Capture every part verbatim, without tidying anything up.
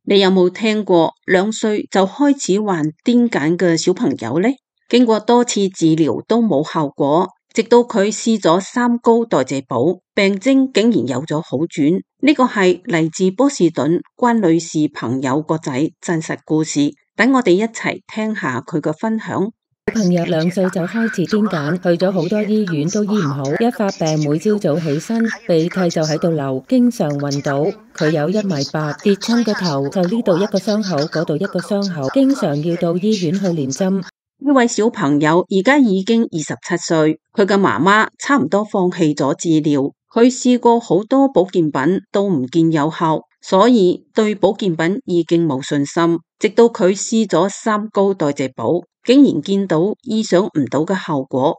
你有冇聽過兩歲就開始患癲癇嘅小朋友呢？經過多次治療都冇效果，直到佢試咗三高代謝寶，病徵竟然有咗好轉。呢個係嚟自波士頓關女士朋友個仔真實故事，等我哋一齊聽下佢嘅分享。小朋友兩歲就開始癲癇，去咗好多醫院都醫唔好，一發病每朝早起身鼻涕就喺度流，經常暈倒。佢有一米八，跌親個頭就呢度一個傷口，嗰度一個傷口，經常要到醫院去連針。呢位小朋友而家已經二十七歲，佢嘅媽媽差唔多放棄咗治療，佢試過好多保健品都唔見有效，所以對保健品已經冇信心。直到佢試咗三高代謝寶，竟然見到意想唔到嘅效果。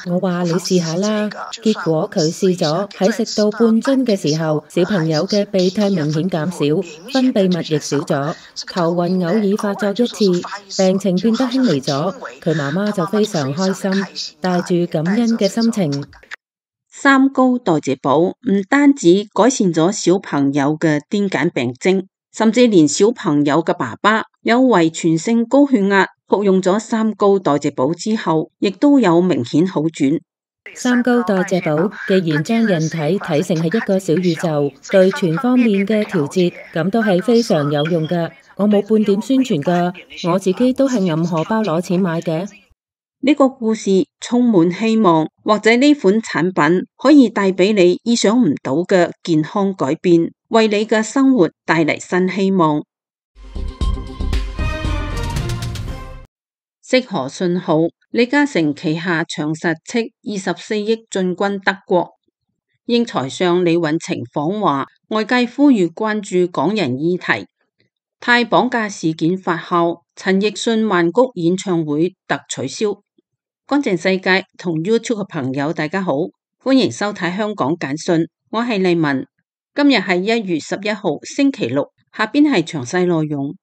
我話你試下啦，結果佢試咗，喺食到半樽嘅時候，小朋友嘅鼻涕明顯減少，分泌物亦少咗，頭暈偶爾發作一次，病情變得輕微咗。佢媽媽就非常開心，帶住感恩嘅心情。三高代謝寶唔單止改善咗小朋友嘅癲癇病徵，甚至連小朋友嘅爸爸有遺傳性高血壓，服用咗三高代謝寶之後，亦都有明顯好轉。三高代謝寶既然將人體睇成係一個小宇宙，對全方面嘅調節，咁都係非常有用㗎。我冇半點宣傳㗎，我自己都係揞荷包攞錢買嘅。呢個故事充滿希望，或者呢款產品可以帶俾你意想唔到嘅健康改變，為你嘅生活帶嚟新希望。適合信號，李嘉誠旗下長實斥二十四億進軍德國。英財相李允晴訪華，外界呼籲關注港人議題。泰綁架事件發酵，陳奕迅曼谷演唱會特取消。乾淨世界同 YouTube 嘅朋友大家好，歡迎收睇香港簡訊，我係麗文。今日係一月十一號星期六，下邊係詳細內容。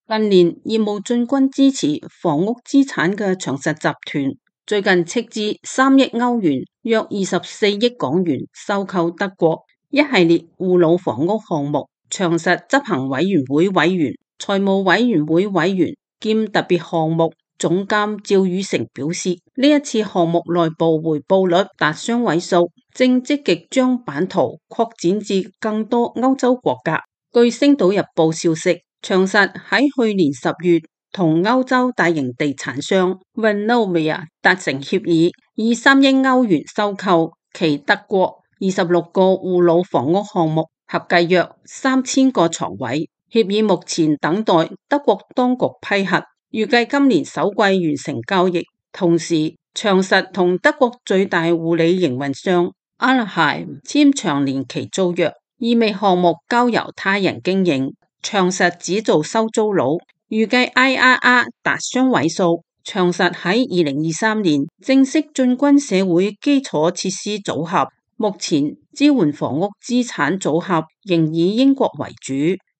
近年業務進軍支持房屋資產嘅長實集團，最近斥資三億歐元，約二十四億港元收購德國一系列護老房屋項目。長實執行委員會委員、財務委員會委員兼特別項目總監趙宇成表示，呢一次項目內部回報率達雙位數，正積極將版圖擴展至更多歐洲國家。據星島日報消息，長實喺去年十月同歐洲大型地產商 Vonovia 達成協議，以三億歐元收購其德國二十六個護老房屋項目，合計約三千個床位。協議目前等待德國當局批核，預計今年首季完成交易。同時，長實同德國最大護理營運商 Alheim 簽長年期租約，意味項目交由他人經營。長實只做收租佬，預計 I R R 達雙位數。長實喺二零二三年正式進軍社會基礎設施組合，目前支援房屋資產組合仍以英國為主。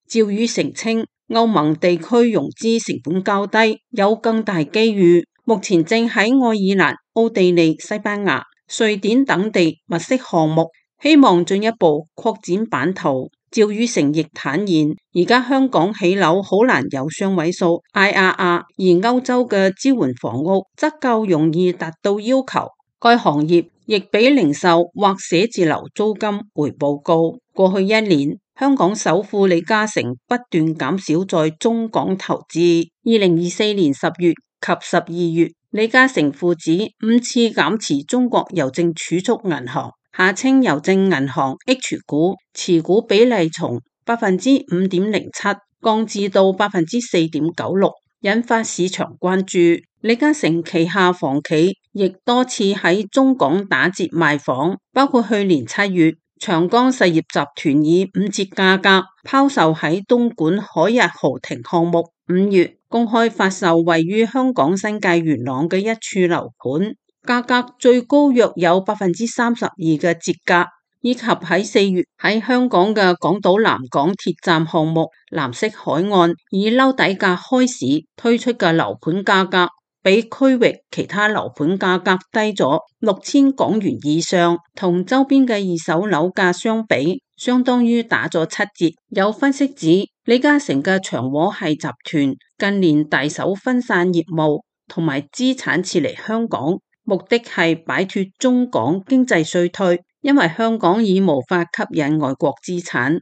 趙宇成稱，歐盟地區融資成本較低，有更大機遇。目前正喺愛爾蘭、奧地利、西班牙、瑞典等地物色項目，希望進一步擴展版圖。趙宇成亦坦言，而家香港起樓好難有雙位數 I R R， 而歐洲嘅支援房屋則夠容易達到要求。該行業亦比零售或寫字樓租金回報高。過去一年，香港首富李嘉誠不斷減少在中港投資。二零二四年十月及十二月，李嘉誠父子五次減持中國郵政儲蓄銀行下稱郵政銀行 H 股持股比例從百分之五點零七降至到百分之四點九六，引發市場關注。李嘉誠旗下房企亦多次喺中港打折賣房，包括去年七月，長江實業集團以五折價格拋售喺東莞海逸豪庭項目，五月公開發售位於香港新界元朗嘅一處樓盤，價格最高約有百分之三十二嘅折價。以及喺四月喺香港嘅港島南港鐵站項目藍色海岸以撈底價開市推出嘅樓盤價格，比區域其他樓盤價格低咗六千港元以上，同周邊嘅二手樓價相比，相當於打咗七折。有分析指，李嘉誠嘅長和系集團近年大手分散業務同埋資產撤離香港，目的係擺脫中港經濟衰退，因為香港已無法吸引外國資產。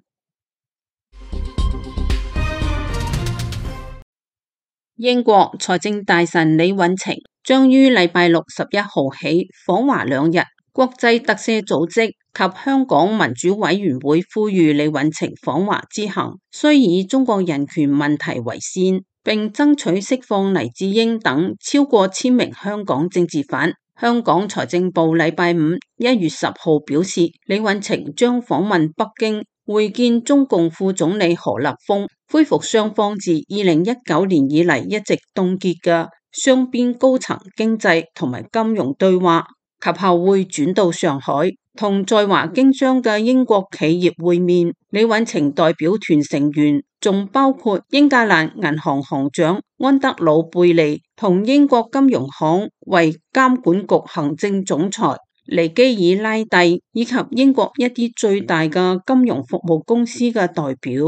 英國財政大臣李允晴將於禮拜六十一號起訪華兩日。國際特赦組織及香港民主委員會呼籲李允晴訪華之行須以中國人權問題為先，並爭取釋放黎智英等超過千名香港政治犯。香港財政部禮拜五一月十號表示，李允晴將訪問北京，會見中共副總理何立峰，恢復雙方自二零一九年以嚟一直凍結嘅雙邊高層經濟同埋金融對話。及後會轉到上海，同在華經商嘅英國企業會面。李允晴代表團成員仲包括英格蘭銀行行長安德魯貝利，同英國金融行為監管局行政總裁尼基爾拉蒂，以及英國一啲最大嘅金融服務公司嘅代表。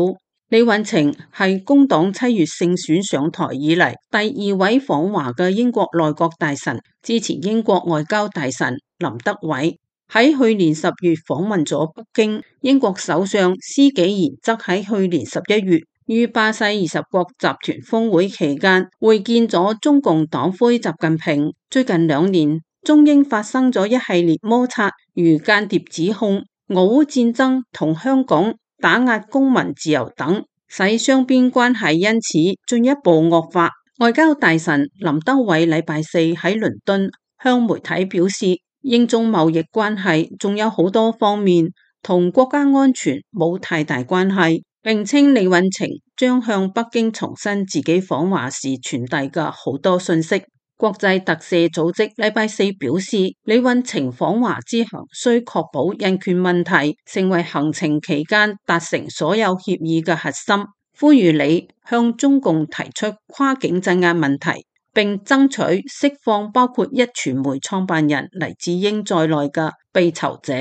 李允晴係工黨七月勝選上台以嚟第二位訪華嘅英國內閣大臣，之前英國外交大臣林德偉喺去年十月訪問咗北京。英國首相施紀賢則喺去年十一月於巴西二十國集團峰會期間會見咗中共黨魁習近平。最近兩年，中英發生咗一系列摩擦，如間諜指控、俄烏戰爭同香港打壓公民自由等，使雙邊關係因此進一步惡化。外交大臣林德偉禮拜四喺倫敦向媒體表示，英中貿易關係仲有好多方面同國家安全冇太大關係，並稱李允晴將向北京重申自己訪華時傳遞嘅好多信息。國際特赦組織禮拜四表示，李允晴訪華之行需確保人權問題成為行程期間達成所有協議嘅核心，呼籲李向中共提出跨境鎮壓問題，並爭取釋放包括壹傳媒創辦人黎智英在內嘅被囚者。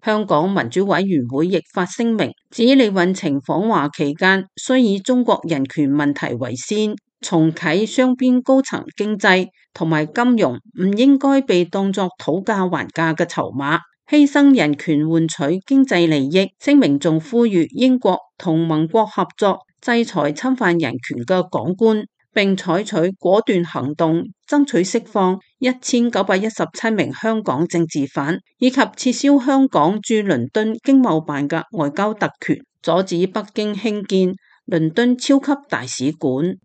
香港民主委員會亦發聲明，指李允晴訪華期間需以中國人權問題為先，重啟雙邊高層經濟同埋金融唔應該被當作討價還價嘅籌碼，犧牲人權換取經濟利益。聲明仲呼籲英國同盟國合作制裁侵犯人權嘅港官，並採取果斷行動，爭取釋放一千九百一十七名香港政治犯，以及撤銷香港駐倫敦經貿辦嘅外交特權，阻止北京興建倫敦超級大使館。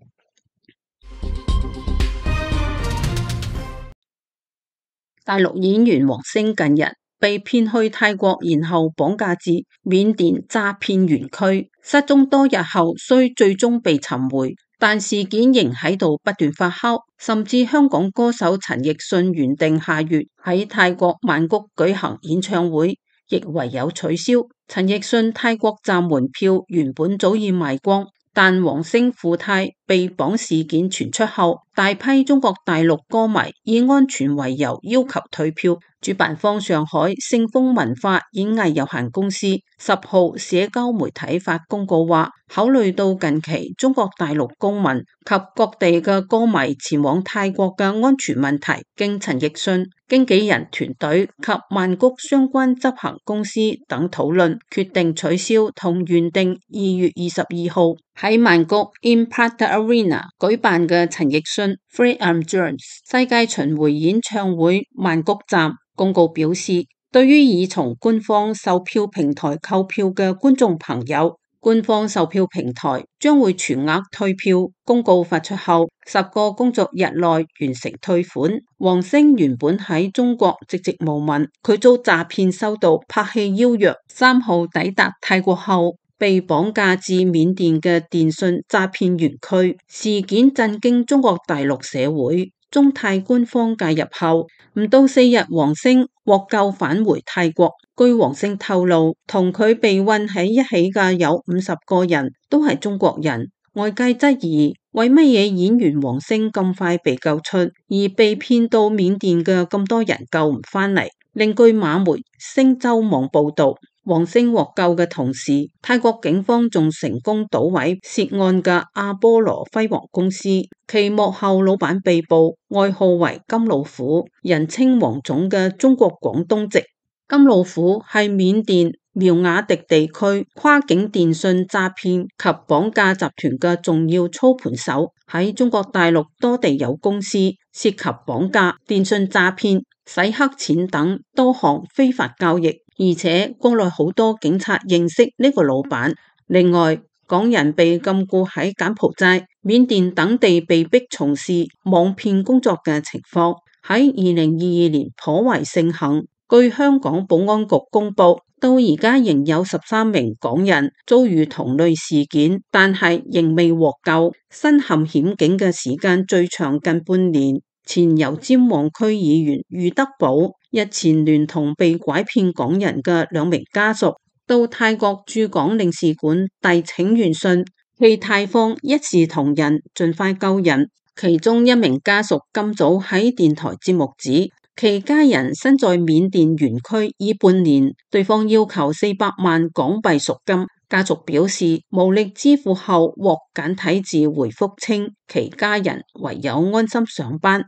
大陸演員王星近日被騙去泰國，然後綁架至緬甸詐騙園區，失蹤多日後雖最終被尋回，但事件仍喺度不斷發酵，甚至香港歌手陳奕迅原定下月喺泰國曼谷舉行演唱會，亦唯有取消。陳奕迅泰國站門票原本早已賣光，但王星赴泰被綁事件傳出後，大批中國大陸歌迷以安全為由要求退票。主辦方上海盛豐文化演藝有限公司十號社交媒體發公告話，考慮到近期中國大陸公民及各地嘅歌迷前往泰國嘅安全問題，經陳奕迅經紀人團隊及曼谷相關執行公司等討論，決定取消同原定二月二十二號喺曼谷 Impact Arena 舉辦嘅陳奕迅 Free I'm Yours 世界巡迴演唱會曼谷站。公告表示，對於已從官方售票平台購票嘅觀眾朋友，官方售票平台將會全額退票。公告發出後，十個工作日內完成退款。王星原本喺中國籍籍無聞，佢遭詐騙收到拍戲邀約，三號抵達泰國後被綁架至緬甸嘅電信詐騙園區。事件震驚中國大陸社會。中泰官方介入後，唔到四日，黃星獲救返回泰國。據黃星透露，同佢被困喺一起嘅有五十個人，都係中國人。外界質疑，為乜嘢演員黃星咁快被救出，而被騙到緬甸嘅咁多人救唔返嚟？另據馬媒星洲網報道，黃星獲救嘅同時，泰國警方仲成功搗毀涉案嘅阿波羅輝煌公司，其幕後老闆被捕，外號為金老虎，人稱黃種嘅中國廣東籍。金老虎係緬甸苗瓦迪地區跨境電信詐騙及綁架集團嘅重要操盤手，喺中國大陸多地有公司，涉及綁架、電信詐騙、洗黑錢等多項非法交易，而且國內好多警察認識呢個老闆。另外，港人被禁錮喺柬埔寨、緬甸等地被逼從事網騙工作嘅情況，喺二零二二年頗為盛行。據香港保安局公布，到而家仍有十三名港人遭遇同類事件，但係仍未獲救，身陷險境嘅時間最長近半年。前油尖旺區議員余德寶日前聯同被拐騙港人嘅兩名家屬到泰國駐港領事館遞請願信，冀泰方一視同仁，盡快救人。其中一名家屬今早喺電台節目指，其家人身在緬甸園區已半年，對方要求四百萬港幣贖金，家屬表示無力支付後獲簡體字回覆稱，其家人唯有安心上班。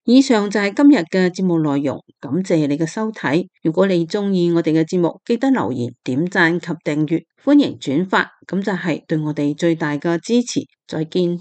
以上就係今日嘅節目內容，感謝你嘅收睇。如果你鍾意我哋嘅節目，記得留言、點讚及訂閱，歡迎轉發，咁就係對我哋最大嘅支持。再見。